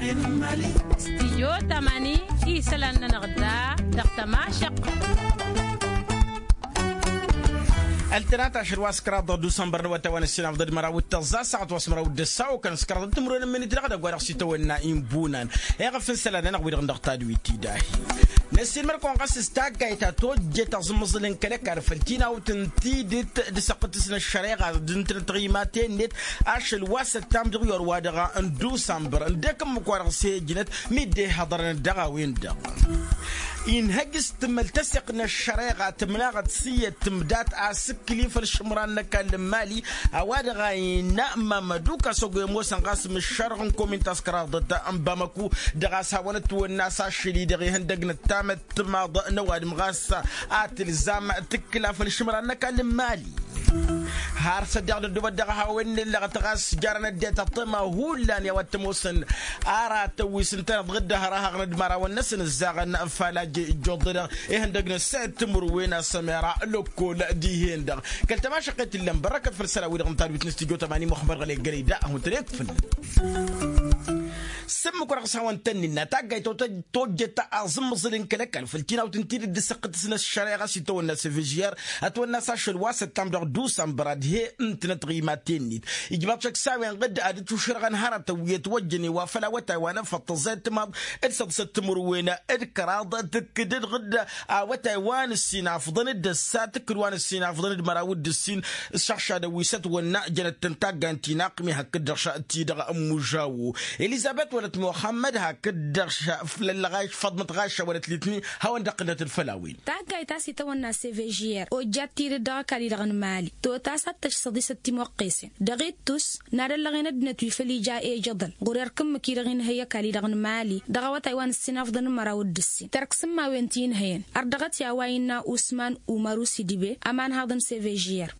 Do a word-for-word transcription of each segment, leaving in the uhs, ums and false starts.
Stijyo tamani isălan-nănăɣ da dăɣ-tămašăq. Ăltănat ašăl wa s-kăraḍ dusănbăr n-awătay wa n-ăssinafḍăd măraw d-tăẓẓa saɣăt wa s-măraw d-ăssaw kăn s-kăraḍăd timǝrwen n-imǝnit dăɣ-dăgg wa dăɣ-s itawănna inbunan. Iɣăf n-isălan-nănăɣ wi-dăɣ n-dăɣ tadwit-i dahi. Năssiilmăr-kăwăn ɣas s-taggayt ta tojjet aẓǝmmăẓǝl n-kăl-ăkall făll-tinawt n-tidǝt d-săqqǝtǝs n-ăššăreɣa d-ǝntănăt tiɣimaten-net ašăl wa s-ăttam dăɣ-iwar wa dăɣ-n dusănbăr ǝndek ǝmmǝk-wa-dăɣ s-e-ǝjnăt mi dd-e-hăḍărăn dăɣ-a-wen-dăɣ. Inhăj s-tǝmmăl tăseɣt n-ăššăreɣa tǝmnaɣăt s-iyyăt tǝmdat asǝkkǝli făll-išǝmran n-ăkall n-mali a-wa-dăɣ a innă mamădu kăsăgo i-ămoosăn ɣas mǝššărăɣ n-komin ta s-kăraḍăt n-bamăku dăɣ-a-s hawăn-ătwănna s-ašăl-i-dăɣ ihăndăg n-ăttamăt timaḍ n-ăwadǝm ɣas a tǝlzam tǝkkǝla făll-išǝmran n-ăkall n-mali. Har s-ăddeɣ dăddoobăt dăɣ-a-wen n-ellăɣăt ɣas jarăn ăddinăt ăṭṭăma hullan i-a-wa t-ămoosăn ara tăwis ǝntăneḍ ɣǝdda hărăhăɣ n-ădmărawăn-năsăn ǝzzaɣăn falaj ijjoḍ-dăɣ ihăndăg n-ăssayăt timǝrwen asămera lăkkol dihen-dăɣ. Kăl-tămašăqqet ǝllan bărrăkăt făll-isălan-wi-dăɣ n-tadwit n-studyo tămani muxămmăd ɣălek gălăy da a hun-tăn-ekfǝl. S-ǝmmǝk wa dăɣ-s hawăn-tăn-innă taggayt ta tojjet aẓǝmmǝẓǝl n-kăl-ăkall făll-tinawt n-tidǝt d-săqqǝtǝs n-ăššăreɣa s-itawănna s-evžiyăr ătwănna s-ašăl wa s-ăttam dăɣ-dusănbăr ad-he-ǝntǝnăt tiɣimaten-net. Ijmaḍ šăksawen ɣǝdd ad-dd-tušrăɣăn hărătăn wi ătwăjjăn i-wa făll-awătay wa n-efăḍ tăẓẓayăt timaḍ d-săḍsăt timǝrwen d-kăraḍ tǝkkǝd-dd ɣǝdd awătay wa n-ǝssin afḍăn d-ăssa tǝkkǝd wa n-ǝssin afḍăn d-măraw d-ǝssin. S-šăɣšadăn wi s-ătwănna jănăt-tăn tagga n-tinaqq mi hakd-dăɣ ti-dăɣ ămmužawo elizăbet wălăt muxămmăd hakd-dăɣ făll-ăllăɣaš făḍmăt ɣašša wălăt litni. Hawăn-dd-ăqqǝnnăt d-făll-a-wen. Taggayt a-s itawănna s-evžiyăr ojjat tidǝt dăɣ-ăkall-i-dăɣ n-mali totas ad-tăšṣăḍ isăt timwăqqesen dăɣ-ittus n-ad-ăllăɣen ăddinăt wi făll-ija ejăḍăl ɣur-erk ǝmmǝk-i-dăɣ inhăy ăkall-i-dăɣ n-mali dăɣ-awătay wa n-ǝssin afḍăn n-măraw d-ǝssin tărk s-ǝmmawen ti-inhăyăn. Ărdăɣăt i-a-wa innă usman umaru sidibe ămanhaḍăn s-evžiyăr.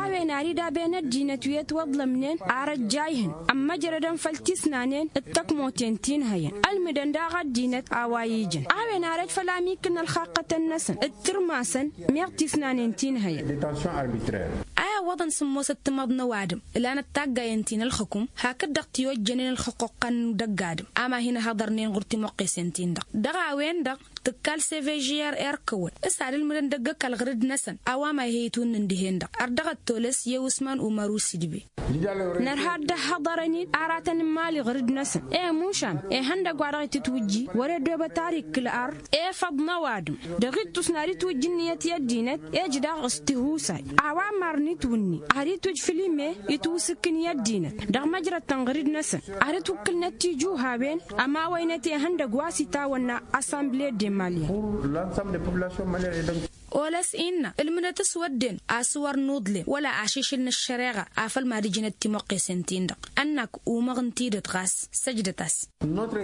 A-wen ar idaben ăddinăt wi ătwăḍlămnen ar ăjjayhǝn ămmăjrădăn făll-tisnanen d-tăkmoten ti n-hăyăn ălmǝdăn daɣ ăddinăt a-wa ijăn a-wen ar ăj făll-amikǝl n-ălxaqqătăn-năsăn d-tǝrmasăn meɣ tisnanen ti n-hăyăn. A iwwăḍăn s-ămoosăt timaḍ n-ăwadǝm ǝlanăt taggayen ti n-ălxǝkǝm hakd-dăɣ ti ojjănen ălxǝqquqqăn n-dăgg-adǝm a ma hin-ăhăḍărnen ɣur-timăqqesen-tin-dăɣ dăɣ-a-wen-dăɣ tǝkkal s-evžiyăr erk-wăn s-ad-ǝlmǝdăn dăgg-ăkall ɣǝrǝd-năsăn a-wa ma ih'-e itwǝnnǝn dihen-dăɣ ărdăɣăt tolăs i-usman umaru sidbe. Nărha ad-dd-ăhhăḍărăn-in aratăn n-imali ɣǝrǝd-năsăn i-mušam ihăndăgg wa dăɣ-itǝtwǝjji wăr-e ăddoobăt ar ikkǝl arr efăḍ n-ăwadǝm dăɣ-ittus n-ad-itwǝjj ǝnniyăt i-ăddinăt ej daɣ s-tihusay a-wa marăn itwǝnni ad-itwǝjj făll-ime itwǝsǝkkǝn i-ăddinăt dăɣ-măjrăd-tăn ɣǝrǝd-năsăn ad-ǝtwǝkkǝlnăt tijǝw hawen ămawăynăt ihăndăgg wa s-itawănna assamble de malyen. Olăs innă ǝlmǝnăt s-wădden a-s wăr n-uḍlen wăla ašišǝl n-ăššăreɣa afăl mad-ǝjnăt timăqqesen-tin-dăɣ ănnak umăɣ n-tidǝt ɣas săjdăt-as.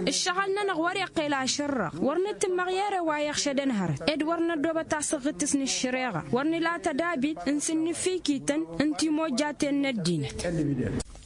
Ǝššăɣǝl-nănăɣ wăr-iqqel ašărrăɣ wăr nǝtǝmmăɣ i-erăw a iɣšădăn hărăt ed wăr năddoobăt asǝɣɣǝtǝs n-ǝššăreɣa wăr nǝla tădabit n-sǝnnǝfikităn n-timojjaten n-ăddinăt.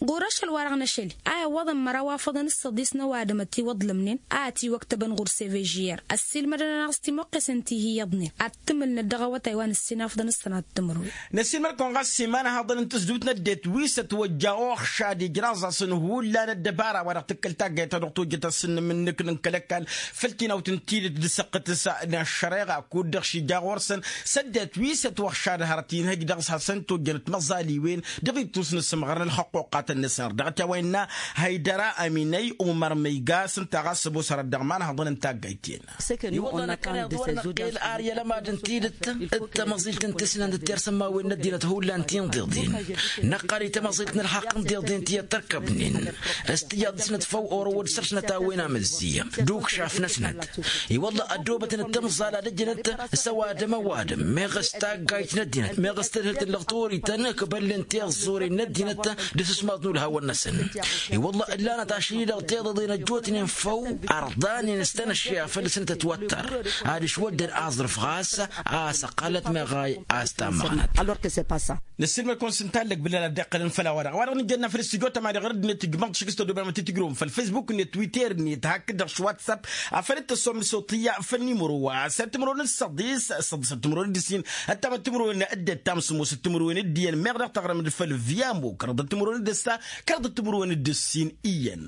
Ɣur-ašăl-wa-dăɣ n-ašăl-i a iwwăḍăn măraw afăḍăn s-săḍis n-ăwadǝm ătiwăḍlămnen a ătiwăktăbăn ɣur-sevežiyăr ăssiilmădăn-anăɣ s-timăqqesen ti hi-iyyăḍnen ad-t-ǝmǝlnăt dăɣ-awătay wa n-ǝssin afḍăn s-sănat timǝrwen. Năssiilmăr-kăwăn ɣas s-iman ăhaḍăn n-tǝzdǝwt n-ăddinăt wi s-ătwăjja oxšad ijraẓ-asăn hullan ăddăbara wa dăɣ-tǝkkăl taggayt ta dăɣ-tojjăt asǝnnǝm n-inǝknǝn kăl-ăkall făll-tinawt n-tidǝt d-săqqǝtǝs n-ăššăreɣa kud-dăɣ šija ɣur-săn s-ăddinăt wi s-ătwăxšad hărăt inhăj dăɣ-s hasăn-tojjănăt măẓaliwen dăɣ-ittus n-asǝmɣăr n-ălxăqquqqatăn-năsăn ărdăɣăt i-a-wa innă hăydăra aminăy umăr măyga s-ǝnta ɣas ămoos hărăt dăɣ-imanhăḍăn n-taggayt-en. I-wălla năkkăneḍ wăr năqqel ar i-ălămad n-tidǝt d-tamăẓilt n-tisnant d-tersămmawen n-ăddinăt hullan tinḍeḍen năqqăl i-tamăẓilt n-ălxaqq n-tiḍen ti ăttărkăbnen s-tijaḍ-năsnăt făw orăwăd săr-snăt a-wen amǝzzi d-ukšaf-năsnăt. I-wălla ăddoobătnăt tamẓala d-ǝjnăt s-ăwadǝm ăwadǝm meɣ s-taggayt n-ăddinăt meɣ s-tadhǝlt n-lăɣtorităn ǝkbălnen tiẓẓuren n-ăddinăt d-asǝsmaḍ n-ulhawăn-năsăn. I-wălla ǝllanăt ašăl-i-dăɣ tiḍăḍen ăjjootnen făw ărḍanen s-tanăšše a făl-săn tătwăttăr ad-ǝšwăddăn aẓrǝf ɣas a-s ăqqalăt meɣ a-s tammăɣnăt. Năssiilmăd-kăwăn s-ǝntallăg bǝllan ad-dd-iqqălăn făll-a-wa-dăɣ a-wa-dăɣ nǝjănna făll-studyo tămani ɣur-dd-net ǝjmăḍ šik s-tăddoobem ad-t-tǝjrǝwăm făll-facebook-net twitter-net hakd-dăɣ s-whatsapp afăl d-tăssom s-oṭṭǝyya făll-nimro wa s-ad-timǝrwen d-săḍis săḍisăt timǝrwen d-ǝssin ăttamăt timǝrwen d-ăttam s-ămoosăt timǝrwen d-iyyăn meɣ dăɣ-taɣrǝmd făll-viyamo kărăḍăt timǝrwen d-ăssa. Kăraḍăt timǝrwen d-ǝssin iyyăn.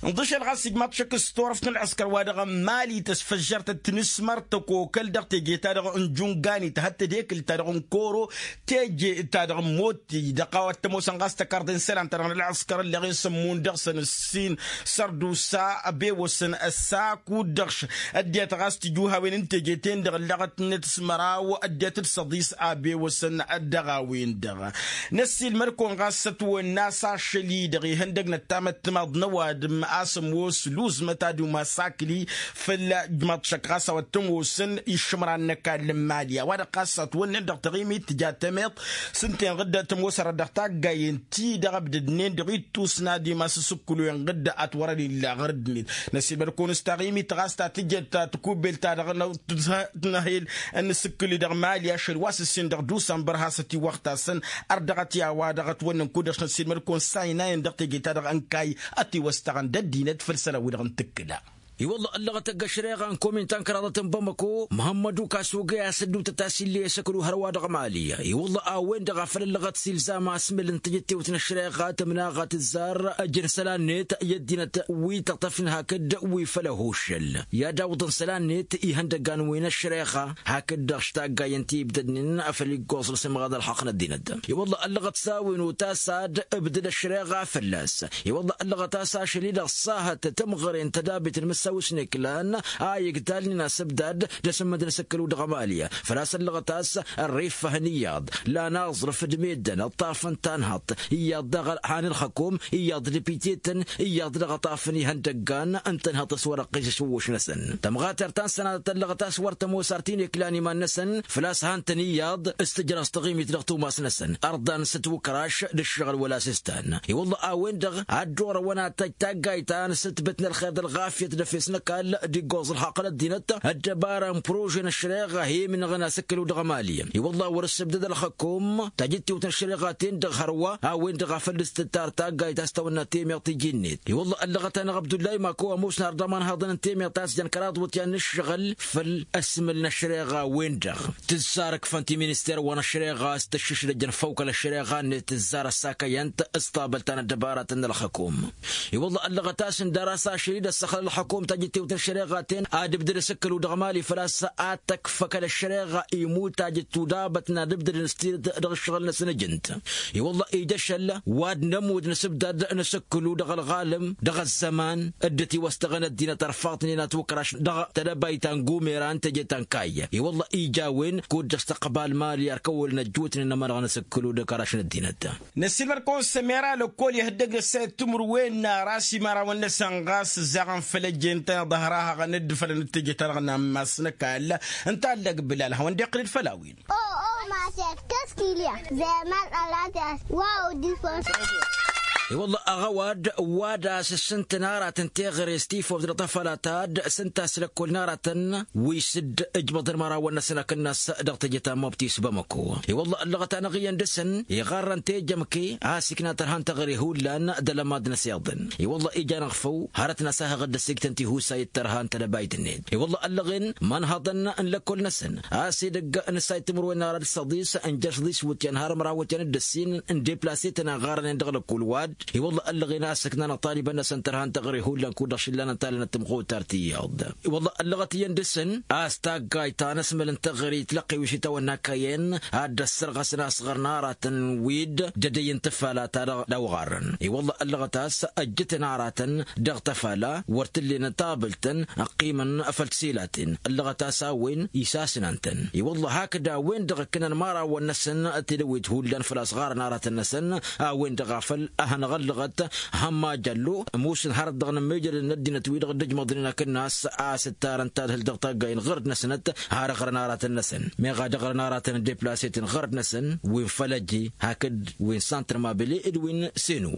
Nḍǝšel ɣas ijmaḍ šăkk s-turăft n-ălɣǝskăr wa dăɣ-ămmali tăsfăžžăr tăt-tǝnǝsmăr tăkokăl dăɣ-teje-ta-dăɣ n-junganit hăt tedekǝl-ta-dăɣ n-koro, teje-ta-dăɣ n-motti dăɣ-a-wa t-ămoosăn ɣas tăkarḍe n-isălan-ta-dăɣ n-ălɣǝskăr ǝlleɣ-in sămmun dăɣ-săn ǝssin sărdusa. Ăbewăsăn ăssaku dăɣ-š ăddinăt ɣas tijuhawen n-teje-ten-dăɣ ǝlleɣăt-net s-măraw ăddinăt d-săḍis. Ăbewăsăn dăɣ-a-wen-dăɣ năssiilmăd-kăwăn ɣas s-ătwănna s-ašăl-i-dăɣ ihăndăg n-ăttamăttămaḍ n-ăwadǝm a-s ămoos luzmăt ad-umas akli făll-ijmaḍ šăkk ɣas a-wa t-ămoosăn iššǝmran n-ăkall n-imali a-wa-dăɣ ɣas ătwănnen dăɣ-taɣimit tǝja temeḍt s-ǝnta enɣǝd tămoos ărrăd dăɣ-taggayen-ti-dăɣ ăbdădnen dăɣ-ittus n-ad-imas asǝkkǝlu enɣǝd ătwărăn illa ɣur-ăddinăt. Năssiilmăd-kăwăn s-taɣimit ɣas ta tǝjăt ta tǝkubbel-ta-dăɣ n-tǝnhel n-asǝkkǝl-i dăɣ-imali ašăl wa s-ǝssin dăɣ-dusănbăr hasăt-iwăɣtasăn. Ărdăɣăt i-a-wa-dăɣ ătwănnăn kud-dăɣ s-năssiilmăd-kăwăn s-aynayen dăɣ-teje-ta-dăɣ ănkay ătiwăstăɣăn d-ăddinăt făll-isălan-wi-dăɣ n-tǝkkǝla. I-wălla ăllăɣăt ăgg-ăšreɣa n-komin ta n-kăraḍăt n-bamăko măhămmădu kasuge a-s ădduutăt a-s ill'-e asăkălu hărwa dăɣ-mali. I-wălla a-wen-dăɣ a făl ăllăɣăt s-ilzam asmǝl n-tijǝttewt n-ăšreɣa tǝmnaɣăt ǝzzar ăjăn isălan-net i-ăddinăt wi tăṭṭăfnen hakd wi făll-ăhuššăl i-ad-awǝḍăn isălan-net ihăndăggan wi n-ăšreɣa. Hakd-dăɣ s-taggayen ti ibdădnen făll-iggoẓ n-asǝmɣad ălxaqq n-ăddinăt. I-wălla ăllăɣăt s-a-wen otas ad-ǝbdăd ăšreɣa fălla-s. I-wălla ăllăɣăt a-s ašăl-i-dăɣ ăṣṣahăt tămɣăre n-tădabit n-imǝssawǝs n-eklan a igdalnen asǝbdad d-asǝmmǝd n-asǝkkălu dăɣ-emali. Făl-a-s ăllăɣăt a-s ărrifăhăn iyyăḍ lan aẓrǝf d-meddǝn ǝṭṭafăn tanhăḍt iyyăḍ daɣ han ǝlxăkom iyyăḍ d-epitităn iyyăḍ daɣ ǝṭṭafăn ihăndăggan n-tanhăḍt s-wăr-ăqqis išǝwwǝš-năsăn. Tămɣatert ta n-sănatăt ăllăɣăt a-s wăr tămoos ar t-in-eklan iman-năsăn făl-a-s han-tăn iyyăḍ s-tǝjrăẓ taɣimit dăɣ-tumas-năsăn ărḍan s-ătwǝkraš d-ǝššăɣǝl wăla s-ǝstan. I-wălla a-wen-dăɣ ad-dd-orăwăn ad-tăj taggayt ta n-asǝtbǝt n-ălxer d-ălɣafyăt d-efes n-ăkall d-iggoẓ ălxaqq n-ăddinăt ăddăbara n-prože n-ăššăreɣa a hi-imnăɣăn asǝkkălu dăɣ-emali. I-wălla wăr-ǝssǝbdăd ălxăkom tajǝttiwt n-ăššăreɣa-ten-dăɣ hărwa a-wen-dăɣ a făl dd-s tǝttar taggayt a-s tawănna temeɣt iji-net. I-wălla ăllăɣăt-anăɣ abdullay mako ămoosăn har d-amanhaḍăn n-temeɣt a-s jăn kăraḍ iwǝtyan n-ǝššăɣǝl făll-ăsmǝl n-ăššăreɣa-wen-dăɣ tǝzzar ǝkfăn ti-minister wa n-ăššăreɣa a-s tăššǝšdăjăn făw kăl-ăššăreɣa n-tǝzzar ăssakăyăn-t s-tabălt ta n-ăddăbaratăn n-ălxăkom. I-wălla ăllăɣăt a-s ǝndar a-s ašăl-i d-ăssăxlăl ălxăkom tajǝttiwt n-ăššăreɣa-ten ad-ǝbdăd asǝkkălu dăɣ-mali făl-a-s ad-tăkfăkăl ăššăreɣa imut tajǝttu d-abătna d-ǝbdădăn s-tidǝt dăɣ-ǝššăɣǝl-năsăn ǝjǝnt. I-wălla ija ašăl wa d-nămud n-asǝbdad n-asǝkkǝlu dăɣ-ălɣalăm dăɣ-ăzzăman dd-ătiwăstăɣăn ăddinăt ărfaḍnen atwǝkraš dăɣ-tedăbayt ta n-gumera n-teje ta n-kayy. I-wălla ija a-wen kud-dăɣ s-tăqbal mali ar kăwălăn ăjjootnen n-ămănăɣ n-asǝkkǝlu d-ăkraš n-ăddinăt. Năssiilmăd-kăwăn s-emera lăkkol ihăddăg n-ăssayăt timǝrwen n-ara s-imărawăn-năsăn ɣas ǝzzaɣăn făll-ăjjeen-tăn iḍăhra haɣăn dd-fălăn d-teje-ta-dăɣ n-ammas n-ăkall. Ǝnta allăg bǝlal hawăn-dd-iqqǝl-dd făll-a-wen. O o maset kăskilya zeman alatias. Wow difos. I-wălla aɣăwad wa d-asǝssǝntăn aratăn teɣăre s-tifoft dăɣ-tafăla ta d-sǝnta s-lăkkol n-aratăn wi s-dd-ǝjmăḍăn imărawăn-năsăn akǝnnas dăɣ-teje ta n-mobti s-bamăko. I-wălla ăllăɣăt-anăɣ iyyăn dăɣ-săn iɣarrăn tejămke a-s ikna tărha n-teɣăre hullan d-alămad n-asiḍăn. I-wălla ija-năɣ făw hărăt n-asahăɣ dd-ăssiktăn tihusayăt tărha n-tedăbayt-net. I-wălla ăllăɣen imanhăḍăn n-lăkkol-năsăn a-s edăgg n-ăssay timǝrwen n-ara d-săḍis n-jer-săḍis iwǝtyan har ămraw iwǝtyan d-ǝssin n-deplase-tăn a ɣarănen dăɣ-lăkkol wa-dd. I-wălla ăllăɣen a-s ǝknanăɣ talibăn-năsăn tărha n-teɣăre hullan kud-dăɣ šillanăn talănăt timɣutar tiyyăḍ. I-wălla ăllăɣăt iyyăn dăɣ-săn a-s taggayt ta n-asmăl n-teɣăre itlăqqew išitawăn n-akăyăn ad-dd-ăssărɣăsăn asɣăr n-aratăn wi d-dd-ădăy n-tafala ta dăɣ-dăɣ ɣarrăn. I-wălla ăllăɣăt a-s ăjjǝtăn aratăn dăɣ-tafala wăr t-ǝllenăn tabǝlt-tăn ăqqimăn făll-tisilaten. Ăllăɣăt a-s a-wen isasnan-tăn. I-wălla hakd a-wen-dăɣ ǝkkǝnăn imărawăn-năsăn tidăwit hullan făl-a-s ɣarăn aratăn-năsăn. A-wen-dăɣ a făl ad-hanăɣ-ăllăɣăt hămma jăllo ămoosăn hărăt dăɣ-inǝmmijălăn n-ăddinăt wi-dăɣ dd-ǝjmăḍnen akǝnnas a-s ǝttarăn tadhǝlt dăɣ-taggayen ɣărd-năsnăt har ăɣrăn aratăn-năsăn meɣ ad-ăɣrăn aratăn n-deplase-ten ɣărd-năsăn wi n-fălăji hakd wi n-santr mabele d-wi n-senu.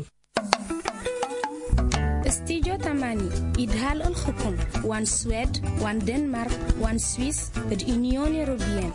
Studyo tamani idhal ǝlxǝkum wa n-swed wa n-denmark wa n-swis d-inyon europeyăn.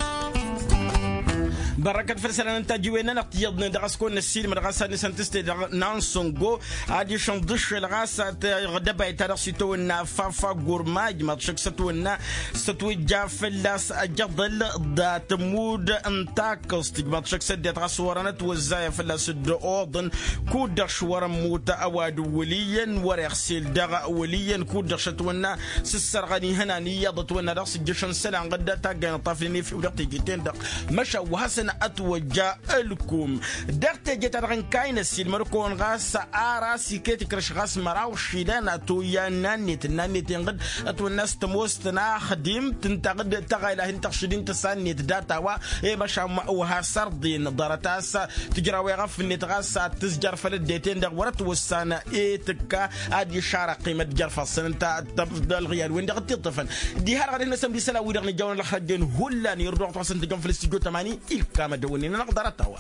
Bărrăkăt făll-isălan n-tajǝwen-nănăɣ tiyyăḍnen dăɣ-s kăwăn-năssiilmăd ɣas ad-nǝsăn tǝstedăɣ n-ansăngo ad-išǝnḍǝššăl ɣas tăɣdăbayt-ta-dăɣ s-itawănna faffa gurmaj măḍšăk s-ătwănna s-ătwăjja fălla-s ăjăḍăl. Dat-ămmud n-takǝẓt ijmaḍ šăk s-ăddinăt ɣas wărăn ătwăzzayăn fălla-s dd-oḍăn kud-dăɣ š-wărăn mut ăwadǝm wăl' iyyăn wăr-iɣsel dăɣ-wăl' iyyăn kud-dăɣ šătwănna s-ǝssărɣăn ihănan iyyăḍ ătwănna dăɣ-s ǝjjăšăn isălan ɣǝd taggayăn ăṭṭafnen efew dăɣ-teje-ten-dăɣ. Măšan wa hasăn-ătwăjja ǝlkum dăɣ-teje-ta-dăɣ n-kayna s-ilmăr-kăwăn ɣas ara s-iket ikrăš ɣas măraw išidan ătoyya n-annet n-annet inɣǝd ătwănna s-tămoos tăn-axdimt ǝnta ɣǝd tăɣayla hin-tăɣšǝd-in tăsannet data-wa. I-măšan wa hasărḍen ḍarăt a-s tǝjraw eɣăf-net ɣas ad-tǝzjăr făll-ăddinăt-en-dăɣ wăr-ătwăssan i-tǝkka ad-išarăɣ qimăt jer-ifassăn ǝnta. Ălɣiyad-wen-dăɣ dd-tiṭṭăfăn diha-dăɣ ad-hin-năsămd isălan-wi-dăɣ nǝjawăn ălxăjjen hullan irduɣ-t wa s-ǝntǝjjăm făll-istijjo tămani ilkam ad-dăwănnen-anăɣ ḍarăt-a-wa.